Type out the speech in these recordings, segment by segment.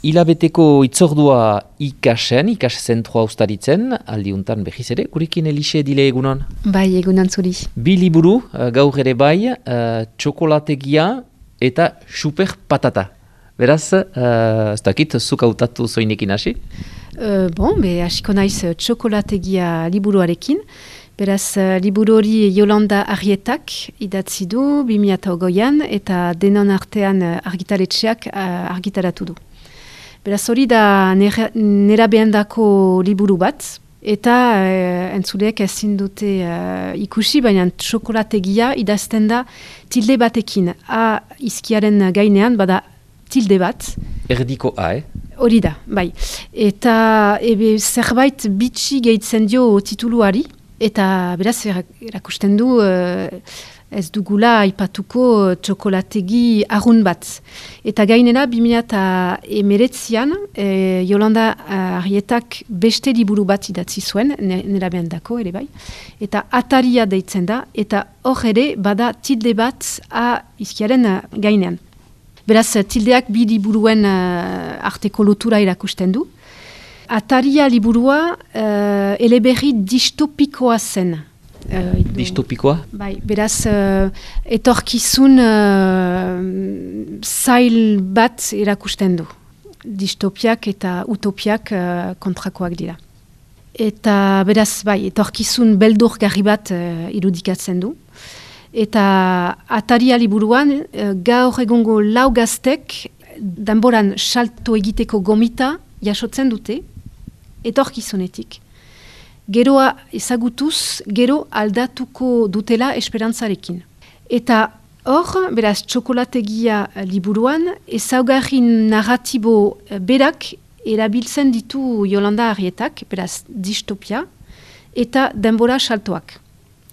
Hilabeteko itzordua zentroa ustaritzen, aldiuntan behiz ere, gurekin Elixe dile egunon? Bai, egunon zuri. Bi liburu, gaur ere bai, txokolategia eta super patata. Beraz, ez dakit, zuk hautatu zoinekin hasi? Hasiko naiz txokolategia liburuarekin. Beraz, liburu hori Yolanda Arrietak idatzi du 2008an eta denon artean argitaletxeak argitaratu du. Beraz, hori da nerabeandako liburu bat, eta entzuleek ezin dute ikusi, baina txokolategia idazten da tilde batekin. A izkiaren gainean, bada tilde bat. Erdiko A, Hori da, bai. Eta zerbait bitxi gehitzen dio tituluari, eta beraz erakusten du ez dugula aipatuko txokolategi arrun bat. Eta gainera, 2019an, Yolanda Arrietak beste liburu bat idatzi zuen, nerabeandako ere bai, eta ataria deitzen da, eta hor ere bada tilde bat a izkiaren gainean. Beraz, tildeak bi liburuen arteko lotura erakusten du. Ataria liburua eleberri distopikoa zen. Distopikoa? Bai, beraz, etorkizun zail bat erakusten du. Distopiak eta utopiak kontrakoak dira. Eta beraz, bai, etorkizun beldurgarri bat irudikatzen du. Eta ataria liburuan, gaur egungo lau gaztek, danboran salto egiteko gomita jasotzen dute, etorkizunetik. Geroa ezagutuz, gero aldatuko dutela esperantzarekin. Eta hor, beraz, txokolategia liburuan, ezaugarri narratibo berak erabiltzen ditu Yolanda Arrietak, beraz, distopia, eta denbora saltoak.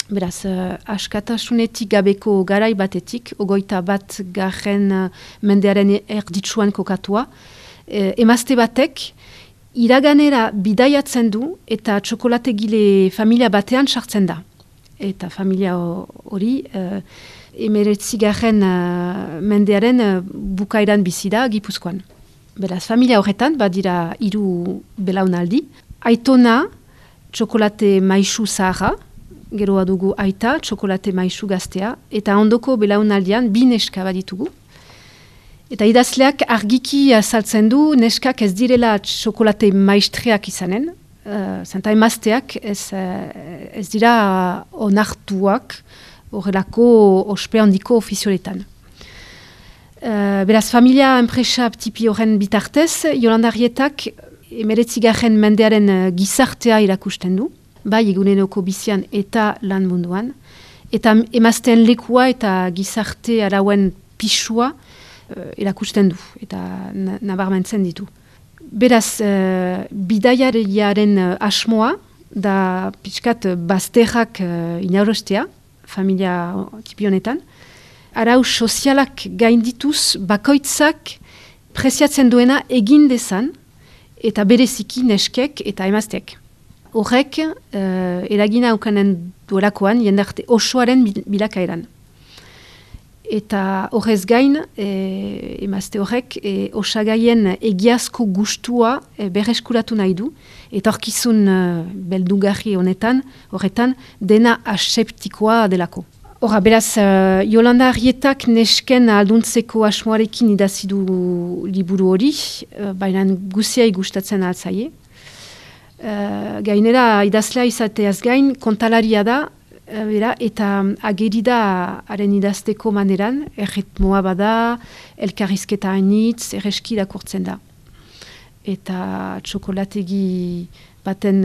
Beraz, askatasunetik gabeko garai batetik, 21. Mendearen erditsuan kokatua, emazte batek, iraganera bidaiatzen du eta txokolategile familia batean sartzen da. Eta familia hori 19. Mendearen bukaeran bizi da Gipuzkoan. Beraz, familia horretan badira 3 belaunaldi. Aitona, txokolate maisu zaharra, geroa dugu aita, txokolate maisu gaztea, eta ondoko belaunaldian 2 neska baditugu. Eta idazleak argiki azaltzen du, neskak ez direla txokolate maistreak izanen, zenta emazteak ez dira onartuak horrelako ospe handiko ofizioletan. Beraz, familia enpresa tipi horren bitartez, Yolanda Arrietak 19. Mendearen gizartea irakusten du, bai eguneroko bizian eta lan munduan, eta emazteen lekua eta gizarte arauen pisua erakusten du, eta nabarmentzen ditu. Beraz, bidaiariaren asmoa, da pixkat bazterrak inaurostea, familia tipi honetan, arau sozialak gaindituz bakoitzak preziatzen duena egin dezan, eta bereziki neskek eta emazteek. Horrek, eragina aukanen duelakoan, jendarte osoaren bilakaeran. Eta horrez gain, emazte horrek, osagaien egiazko gustua berreskuratu nahi du, eta horkizun beldugarri horretan, dena aseptikoa delako. Horra, beraz, Yolanda Arrietak nesken alduntzeko asmoarekin idazi du liburu hori, baina guziai gustatzen altzaie. Gainera, idazlea izateaz gain, kontalaria da, eta ageri da haren idazteko maneran, erritmoa bada, elkarrizketa hainitz, erreski irakurtzen da. Eta txokolategi baten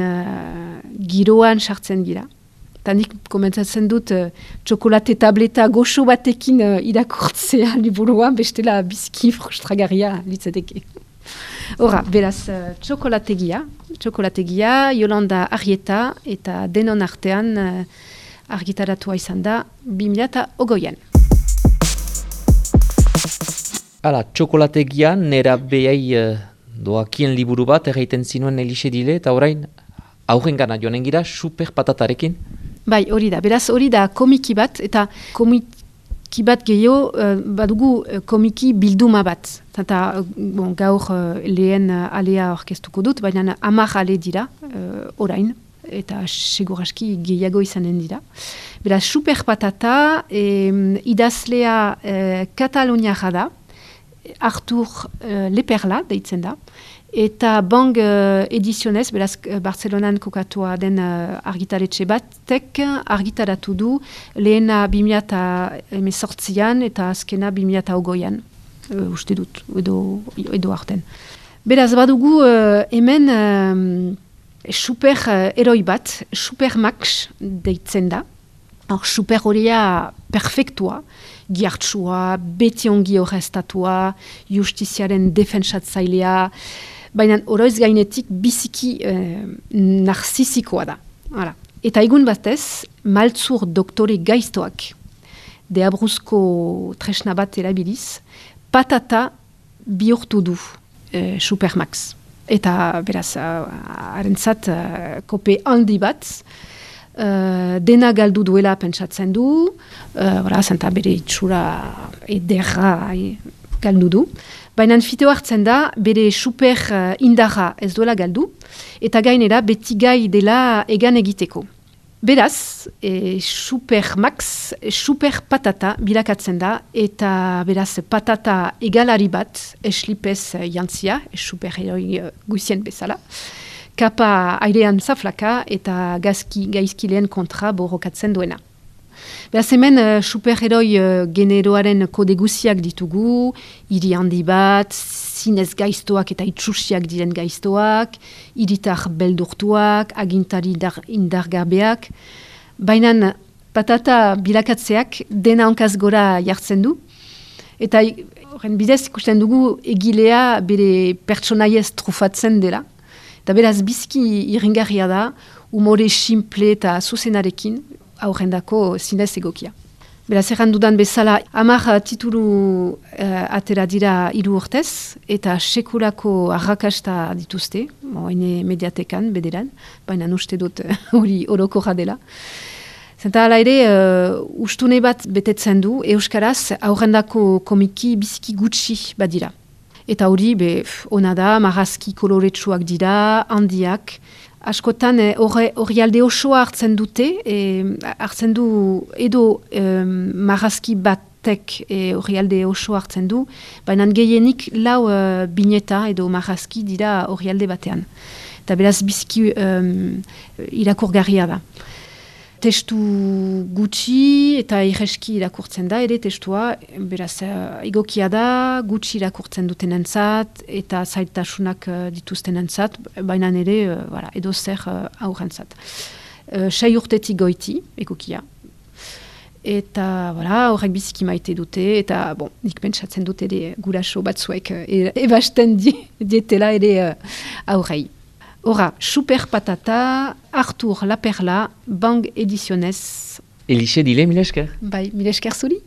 giroan sartzen gira. Eta nik komentatzen dut txokolate tableta goxo batekin irakurtzea liburuan, bestela bizki frustragarria litzateke. Horra, beraz, txokolategia, Yolanda Arrieta eta denon artean argitaratua izan da 2008an. Hala, txokolategia nera behai doakien liburu bat erraiten zinuen Elixe dile, eta orain aurren gana joanen gira super patatarekin. Bai, hori da. Beraz, hori da komiki bat, eta komiki pixki bat gehiago, badugu komiki bilduma bat. Eta gaur lehen alea orkestuko dut, baina 10 ale dira, orain, eta seguraski gehiago izanen dira. Beraz, Super Patata idazlea Kataluniara da, Artur Leperla deitzen da, eta Bang edizionez, beraz Barcelonan kokatua den argitaretxe batek argitaratu du lehena 2018an eta azkena 2020an, uste dut, edo arten. Beraz, badugu hemen super heroi bat, Super Max deitzen da. Super horia perfektua, giartsua, beti ongi horreztatua, justiziaren defensatzailea, baina oroiz gainetik biziki narzisikoa da. Hala. Eta egun batez, maltzur doktore gaiztoak, deabruzko tresna bat erabiliz, patata bihurtu du Super Max. Eta beraz, harentzat kope handi bat, dena galdu duela pentsatzen du, zenta bere itxura ederra galdu du. Baina fiteo hartzen da, bere super indarra ez duela galdu, eta gainera beti gai dela egan egiteko. Beraz, Super Max, Super Patata bilakatzen da, eta beraz patata egalari bat, eslipez jantzia, super heroi guzien bezala, kapa airean zaflaka eta gaizkileen kontra borrokatzen duena. Beraz hemen superheroi generoaren kode guziak ditugu, hiri handi bat, zinez gaiztoak eta itxusiak diren gaiztoak, hiritar beldurtuak, agintari indargabeak, baina patata bilakatzeak dena hankaz gora jartzen du, eta horren bidez ikusten dugu egilea bere pertsonaiez trufatzen dela. Eta beraz, biziki irringarria da, umore simple eta zuzenarekin, aurrendako zinez egokia. Beraz, errandudan bezala, 10 titulu atera dira 3 urtez, eta sekulako arrakasta dituzte, hene mediatekan, bederan, baina uste dut hori orokorra dela. Zenta hala ere, ustune bat betetzen du, euskaraz, aurrendako komiki biziki gutxi badira. Eta hori, ona da, marrazki koloretsuak dira, handiak. Askotan, hori alde osoa hartzen dute, hartzen du edo marrazki batek hori alde osoa hartzen du, baina gehienik 4 bineta edo marrazki dira hori alde batean. Eta beraz, biziki irakurgarria da. Testu gutxi eta irreski irakurtzen da, ere testua, beraz, egokia da, gutxi irakurtzen dutenentzat eta zailtasunak dituztenentzat, baina ere, edo zer aurrentzat. 6 urtetik goiti, egokia. Eta, horrek biziki maite dute, eta, nik pentsatzen dute ere guraso batzuek ebasten dietela ere aurrei. Hora, Super Patata, Artur Leperla, Bang edizionez. Elixe dile, mil esker. Bai, mil esker zuri.